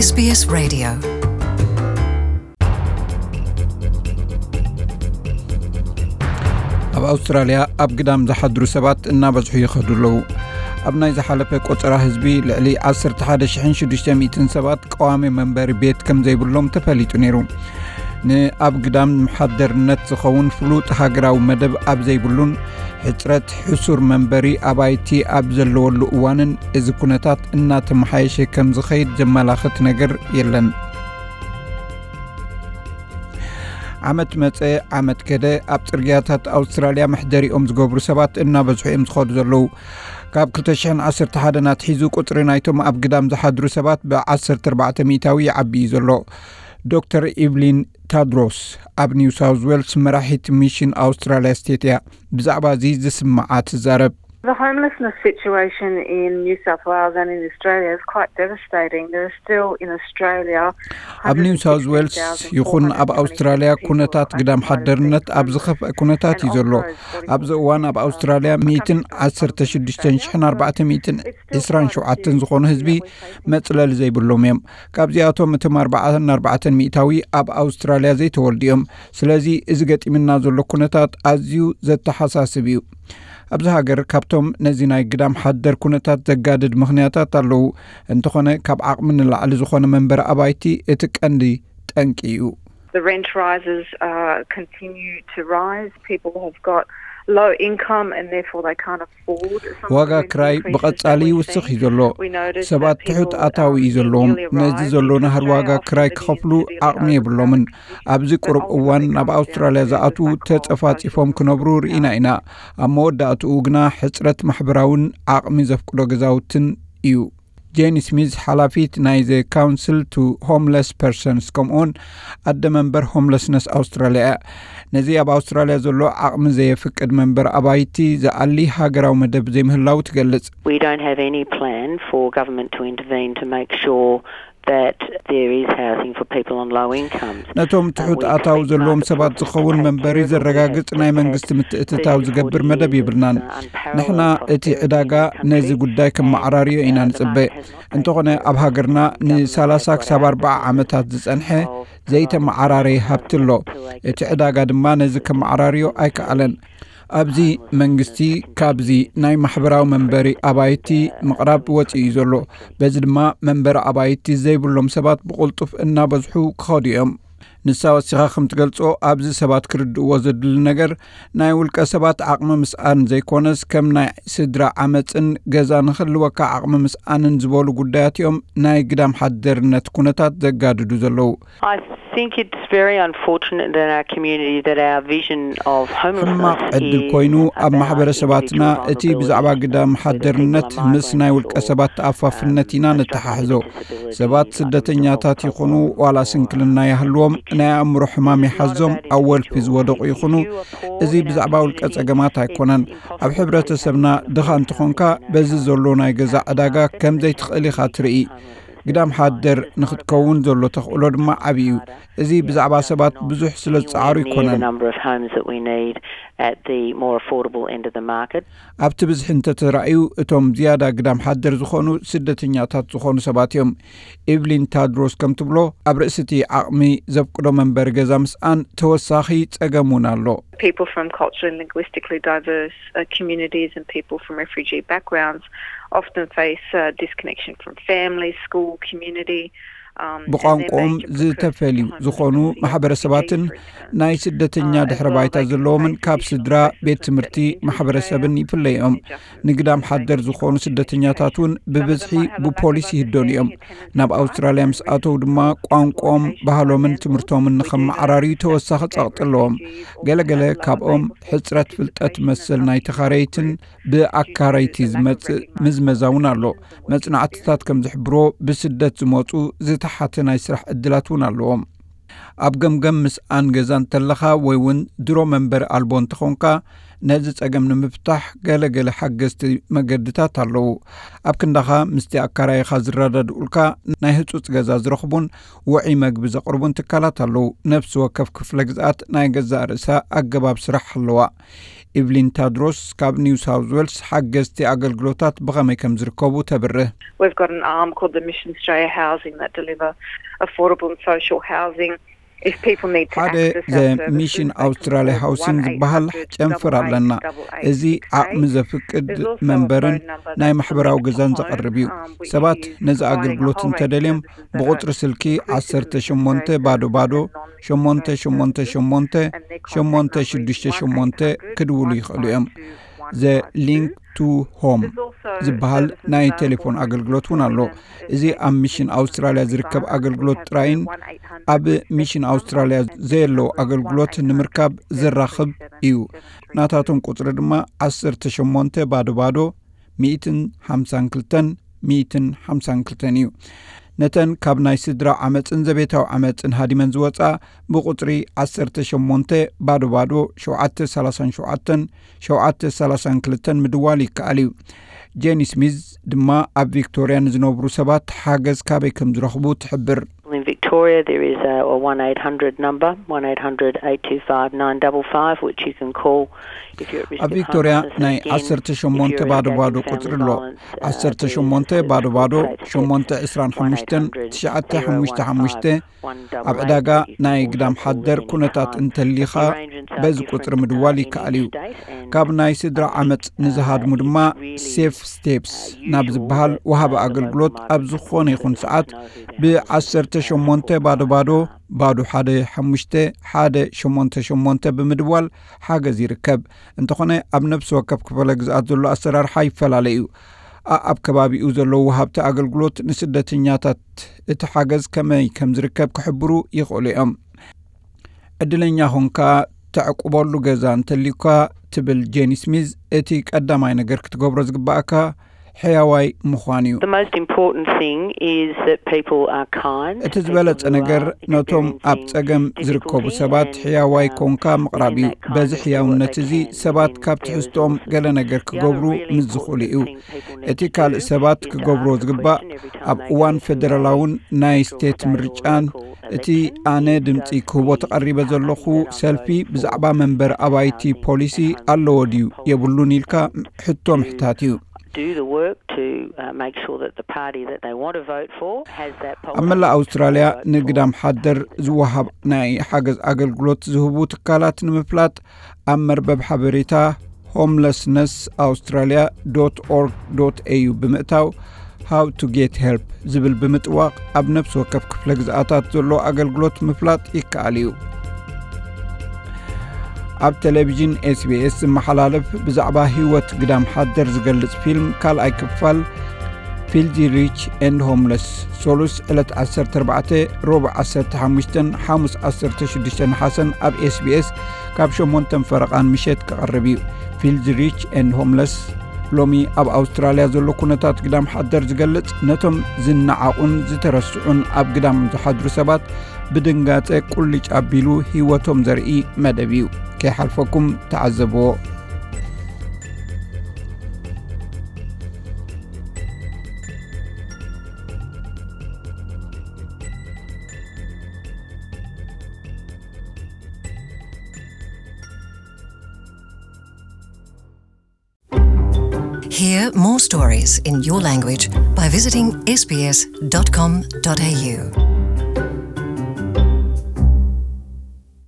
SBS Radio. ኣብ ኣውስትራልያ ኣብ ግዳም ዝሓድሩ ሰባት እናበዝሑ ይኸዱ ኣለዉ። ኣብ ናይ ዝሓለፈ ቆጸራ ህዝቢ ልዕሊ ዓሰርተ ሓደ ሽሕን ሽዱሽተ ሚእትን ሰባት ቀዋሚ መንበሪ ቤት ከም ዘይብሎም ተፈሊጡ ነይሩ። ንኣብ ግዳም ምሓደርነት ዝኸውን ፍሉጥ ሃገራዊ መደብ ኣብ ዘይብሉን ሕጽረት ሕሱር መንበሪ ኣባይቲ ኣብ ዘለወሉ እዋንን እዚ ኩነታት እናተመሓየሸ ከም ዝኸይድ ዘመላኽት ነገር የለን። ዓመት መጸ ዓመት ከደ ኣብ ጽርግያታት ኣውስትራልያ መሕደሪኦም ዝገብሩ ሰባት እናበዝሑ እዮም ዝኸዱ ዘለዉ። ካብ ክልተ ሽሕን ዓሰርተ ሓደን ኣትሒዙ ቁጽሪ ናይቶም ኣብ ግዳም ዝሓድሩ ሰባት ብ ዓሰርተ ኣርባዕተ ሚእታዊ ይዓቢ እዩ ዘሎ። ዶክተር ኢቭሊን ታድሮስ ኣብ ኒው ሳውዝ ዌልስ መራሒት ሚሽን ኣውስትራልያ ስቴት እያ። ብዛዕባ እዚ ዝስምዓ ትዛረብ። The homelessness situation in New South Wales and in Australia is quite devastating. There are still in Australia ኣብ ኒው ሳውዝ ዌልስ ይኹን ኣብ ኣውስትራልያ ኩነታት ግዳም ሓደርነት ኣብ ዝኸፍአ ኩነታት እዩ ዘሎ። ኣብዚ እዋን ኣብ ኣውስትራልያ ሚእትን ዓሰርተ ሽዱሽተ ሽሕን ኣርባዕተ ሚእትን ዕስራን ሸውዓተን ዝኾኑ ህዝቢ መጽለሊ ዘይብሎም እዮም። ካብዚኣቶም እቶም ኣርባዓን ኣርባዕተን ሚእታዊ ኣብ ኣውስትራልያ ዘይተወልዱ እዮም። ስለዚ እዚ ገጢምና ዘሎ ኩነታት ኣዝዩ ዘተሓሳስብ እዩ። ኣብዚ ሃገር ካብቶም ነዚ ናይ ግዳም ሓደር ኩነታት ዘጋድድ ምኽንያታት ኣለዉ። እንተኾነ ካብ ዓቕሚ ንላዕሊ ዝኾነ መንበሪ ኣባይቲ እቲ ቀንዲ ጠንቂ እዩ። The rent rises uh, continue to rise. People have got low income and therefore they can't afford some of the ዋጋ rent ክራይ increases ብቐጻሊ that we're ይውስኽ እዩ seeing. ዘሎ። We notice ሰባት that people ትሑት ኣታዊ um, እዩ ዘለዎም። nearly ነዚ arrived ዘሎ into ናህሪ ዋጋ Australia ክራይ from the ክኸፍሉ city of ዓቕሚ Perth. የብሎምን። ኣብዚ ቁሩብ እዋን ናብ ኣውስትራልያ ዝኣትዉ ተጸፋጺፎም ክነብሩ ርኢና ኢና። ኣብ መወዳእትኡ ግና ሕጽረት ማሕበራውን ዓቕሚ ዘፍቅዶ ገዛውትን እዩ። ጄኒ ስሚዝ ሓላፊት ናይ ዘ ካውንስል ቱ ሆምለስ ፐርሰንስ ከምኡውን ኣደ መንበር ሆምለስነስ ኣውስትራልያ እያ። ነዚ ኣብ ኣውስትራልያ ዘሎ ዓቕሚ ዘየፍቅድ መንበር ኣባይቲ ዝኣሊ ሃገራዊ መደብ ዘይምህላው ትገልጽ። We don't have any plan for government to intervene to make sure that there is housing for people on low incomes. ነቶም ትሑት ኣታዊ ዘለዎም ሰባት ዝኸውን መንበሪ ዘረጋግጽ ናይ መንግስቲ ምትእትታው ዝገብር መደብ የብልናን። ንሕና እቲ ዕዳጋ ነዚ ጉዳይ ከመዓራርዮ ኢና ንጽበ። እንተኾነ ኣብ ሃገርና ንሰላሳ ክሳብ ኣርባዓ ዓመታት ዝጸንሐ ዘይተመዓራረየ ሃብቲ ኣሎ። እቲ ዕዳጋ ድማ ነዚ ከመዓራርዮ ኣይከኣለን። ኣብዚ መንግስቲ ካብዚ ናይ ማሕበራዊ መንበሪ ኣባይቲ ምቕራብ ወፂኡ እዩ ዘሎ። በዚ ድማ መንበሪ ኣባይቲ ዘይብሎም ሰባት ብቕልጡፍ እናበዝሑ ክኸዱ እዮም። ንሳ ወሲኻ ከም ትገልጾ ኣብዚ ሰባት ክርድእዎ ዘድሊ ነገር ናይ ውልቀ ሰባት ዓቕሚ ምስኣን ዘይኮነስ ከም ናይ ስድራ ዓመፅን ገዛ ንክህልወካ ዓቕሚ ምስኣንን ዝበሉ ጉዳያት እዮም ናይ ግዳም ሓደርነት ኩነታት ዘጋድዱ ዘለዉ። I think it's very unfortunate that our community, that our vision of homelessness ሕማቕ ዕድል ኮይኑ ኣብ ማሕበረሰባትና እቲ ብዛዕባ ግዳም ሓደርነት ምስ ናይ ውልቀ ሰባት ተኣፋፍነት ኢና ነተሓሕዞ። ሰባት ስደተኛታት ይኹኑ ዋላ ስንክልና ይሃልዎም፣ ናይ ኣእምሮ ሕማም ይሓዞም፣ ኣብ ወልፊ ዝወደቑ ይኹኑ፣ እዚ ብዛዕባ ውልቀ ጸገማት ኣይኮነን። ኣብ ሕብረተሰብና ድኻ እንተኾንካ በዚ ዘሎ ናይ ገዛ ዕዳጋ ከም ዘይትኽእል ኢኻ ትርኢ። ግዳም ሓደር ንኽትከውን ዘሎ ተኽእሎ ድማ ዓብዪ እዩ። እዚ ብዛዕባ ሰባት ብዙሕ ስለ ዝጸዓሩ ኣይኮነን። Number of homes that we need at the more affordable end of the market. ኣብቲ ብዝሒ እንተተራእዩ እቶም ዝያዳ ግዳም ሓደር ዝኾኑ ስደተኛታት ዝኾኑ ሰባት እዮም። ኤቭሊን ታድሮስ ከም ትብሎ ኣብ ርእሲ እቲ ዓቕሚ ዘፍቅዶ መንበሪ ገዛ ምስኣን ተወሳኺ ጸገም እውን ኣሎ። People from culturally and linguistically diverse uh, communities and people from refugee backgrounds often face uh, disconnection from family, school, community. ብቋንቋኦም ዝተፈልዩ ዝኾኑ ማሕበረሰባትን ናይ ስደተኛ ድሕረ ባይታ ዘለዎምን ካብ ስድራ፣ ቤት ትምህርቲ፣ ማሕበረሰብን ይፍለዮም። ንግዳም ሓደር ዝኾኑ ስደተኛታት እውን ብብዝሒ ብፖሊስ ይህደኑ እዮም። ናብ ኣውስትራልያ ምስ ኣተው ድማ ቋንቋኦም፣ ባህሎምን ትምህርቶምን ንኸመዓራርዩ ተወሳኺ ጸቕጢ ኣለዎም። ገለገለ ካብኦም ሕጽረት ፍልጠት መሰል ናይ ተኻረይትን ብኣካረይቲ ዝመጽእ ምዝመዛ እውን ኣሎ። መጽናዕትታት ከም ዝሕብሮ ብስደት ዝመጹ ዝተሓተ ናይ ስራሕ ዕድላት እውን ኣለዎም። ኣብ ገምገም ምስ ኣን ገዛ እንተለኻ ወይ እውን ድሮ መንበሪ ኣልቦ እንተኾንካ፣ ነዚ ጸገም ንምፍታሕ ገለ ገለ ሓገዝቲ መገድታት ኣለዉ። ኣብ ክንዳኻ ምስቲ ኣካራይኻ ዝረዳድኡልካ፣ ናይ ህጹጽ ገዛ ዝረኽቡን ውዒ መግቢ ዘቕርቡን ትካላት ኣለዉ። ነፍሲ ወከፍ ክፍለ ግዝኣት ናይ ገዛእ ርእሳ ኣገባብ ስራሕ ኣለዋ። ኢቭሊን ታድሮስ ካብ ኒው ሳውዝ ዌልስ ሓገዝቲ ኣገልግሎታት ብኸመይ ከም ዝርከቡ ተብርህ። We've got an arm called the Mission Australia Housing that deliver affordable and social housing. If people need to ሓደ access ዘ our services, ሚሽን they can ኣውስትራልያ call ሃውሲንግ ዝበሃል ጨንፈር ኣለና። እዚ ዓቕሚ ዘፍቅድ መንበርን ናይ ማሕበራዊ ገዛን ዘቕርብ እዩ። ሰባት ነዚ ኣገልግሎት እንተደልዮም ብቁጽሪ ስልኪ ዓሰርተ ሸሞንተ ባዶ ባዶ ሸሞንተ ሸሞንተ ሸሞንተ ሸሞንተ ሽዱሽተ ሸሞንተ ክድውሉ ይኽእሉ እዮም። ዘ ሊንክ ቱ ሆም ዝበሃል ናይ ቴሌፎን ኣገልግሎት እውን ኣሎ። እዚ ኣብ ሚሽን ኣውስትራልያ ዝርከብ ኣገልግሎት ጥራይን ኣብ ሚሽን ኣውስትራልያ ዘየለዉ ኣገልግሎት ንምርካብ ዘራኽብ እዩ። ናታቶም ቁጽሪ ድማ ዓሰርተ ሸሞንተ ባዶ ባዶ ሚእትን ሓምሳን ክልተን ሚእትን ሓምሳን ክልተን እዩ። ነተን ካብ ናይ ስድራ ዓመፅን ዘቤታዊ ዓመፅን ሃዲመን ዝወፃ ብቁፅሪ ዓሰርተ ሸሞንተ ባዶ ባዶ ሸውዓተ ሰላሳን ሸውዓተን ሸውዓተ ሰላሳን ክልተን ምድዋል ይከኣል እዩ። ጄኒ ስሚዝ ድማ ኣብ ቪክቶርያ ንዝነብሩ ሰባት ሓገዝ ካበይ ከም ዝረኽቡ ትሕብር። In Victoria, there is a, a one eight hundred number, one eight hundred eight two five nine double five, which you can call if you're at risk ኣብ of ቪክቶርያ homelessness. ናይ Again, ዓሰርተ if ሸሞንተ you're ባዶ engaged ባዶ in family ቁፅሪ ኣሎ። violence, uh, ዓሰርተ there is a ሸሞንተ service ባዶ called ባዶ Safe Steps, ሸሞንተ ዕስራን ሓሙሽተን one eight hundred ትሽዓተ ሓሙሽተ ሓሙሽተ zero one five one double eight, ኣብ ዕዳጋ that you can ናይ also ግዳም call ሓደር at any ኩነታት time. እንተሊኻ If you range in size, በዚ you can ቁፅሪ press ምድዋል one in ይከኣል እዩ። each state, and ካብ ናይ ስድራ ዓመፅ ንዝሃድሙ ድማ ሴፍ ስቴፕስ ናብ ዝበሃል ወሃቢ ኣገልግሎት ኣብ ዝኾነ ይኹን ሰዓት ብዓሰርተ ሸሞንተ ባዶ ባዶ ባዶ ሓደ ሓሙሽተ ሓደ ሸሞንተ ሸሞንተ ብምድዋል ሓገዝ ይርከብ። እንተኾነ ኣብ ነፍሲ ወከፍ ክፍለ ግዝኣት ዘሎ ኣሰራርሓ ይፈላለ እዩ። ኣኣብ ከባቢኡ ዘለዉ ወሃብቲ ኣገልግሎት ንስደተኛታት እቲ ሓገዝ ከመይ ከም ዝርከብ ክሕብሩ ይኽእሉ እዮም። ዕድለኛ ኾንካ ተዕቁበሉ ገዛ እንተልዩካ ትብል ጄኒ ስሚዝ፣ እቲ ቀዳማይ ነገር ክትገብሮ ዝግባእካ ሕያዋይ ምዃን እዩ። The most important thing is that people are kind. እቲ ዝበለጸ ነገር ነቶም ኣብ ጸገም ዝርከቡ ሰባት ሕያዋይ ኮንካ ምቕራብ እዩ። በዚ ሕያውነት እዚ ሰባት ካብ ትሕዝትኦም ገለ ነገር ክገብሩ ምስ ዝኽእሉ እዩ። እቲ ካልእ ሰባት ክገብርዎ ዝግባእ ኣብ እዋን ፌደራላውን ናይ ስቴት ምርጫን እቲ ኣነ ድምፂ ክህቦ ተቐሪበ ዘለኹ ሰልፊ ብዛዕባ መንበር ኣባይቲ ፖሊሲ ኣለዎ ድዩ የብሉን ኢልካ ሕቶ ምሕታት እዩ። Do the work to uh, make sure that the party that they want to vote for has that ኣብ መላእ ኣውስትራልያ ንግዳም ሓደር ዝወሃብ ናይ ሓገዝ ኣገልግሎት ዝህቡ ትካላት ንምፍላጥ ኣብ መርበብ ሓበሬታ ሆምለስነስ ኣውስትራልያ ዶት ኦርግ ዶት ኤዩ ብምእታው ሃው ቱ ጌት ሄልፕ ዝብል ብምጥዋቕ ኣብ ነፍሲ ወከፍ ክፍለ ግዝኣታት ዘሎ ኣገልግሎት ምፍላጥ ይከኣል እዩ። ኣብ ቴሌቪዥን ኤስቢኤስ ዝመሓላለፍ ብዛዕባ ህይወት ግዳም ሓደር ዝገልጽ ፊልም ካልኣይ ክፋል ፊልዚ ሪች ኤንድ ሆምለስ ሶሉስ ዕለት ዓሰርተ ኣርባዕተ ሮብ ዓሰርተ ሓሙሽተን ሓሙስ ዓሰርተ ሽዱሽተ ነሓሰን ኣብ ኤስቢኤስ ካብ ሸሞንተን ፈረቓን ምሸት ክቐርብ እዩ። ፊልዚ ሪች ኤንድ ሆምለስ ሎሚ ኣብ ኣውስትራልያ ዘሎ ኩነታት ግዳም ሓደር ዝገልጽ ነቶም ዝነዓቑን ዝተረስዑን ኣብ ግዳም ዝሓድሩ ሰባት ብድንጋጸ ቁልጭ ኣቢሉ ህይወቶም ዘርኢ መደብ እዩ። ከይሓልፈኩም ተዓዘብዎ። Hear more stories in your language by visiting sbs.com.au.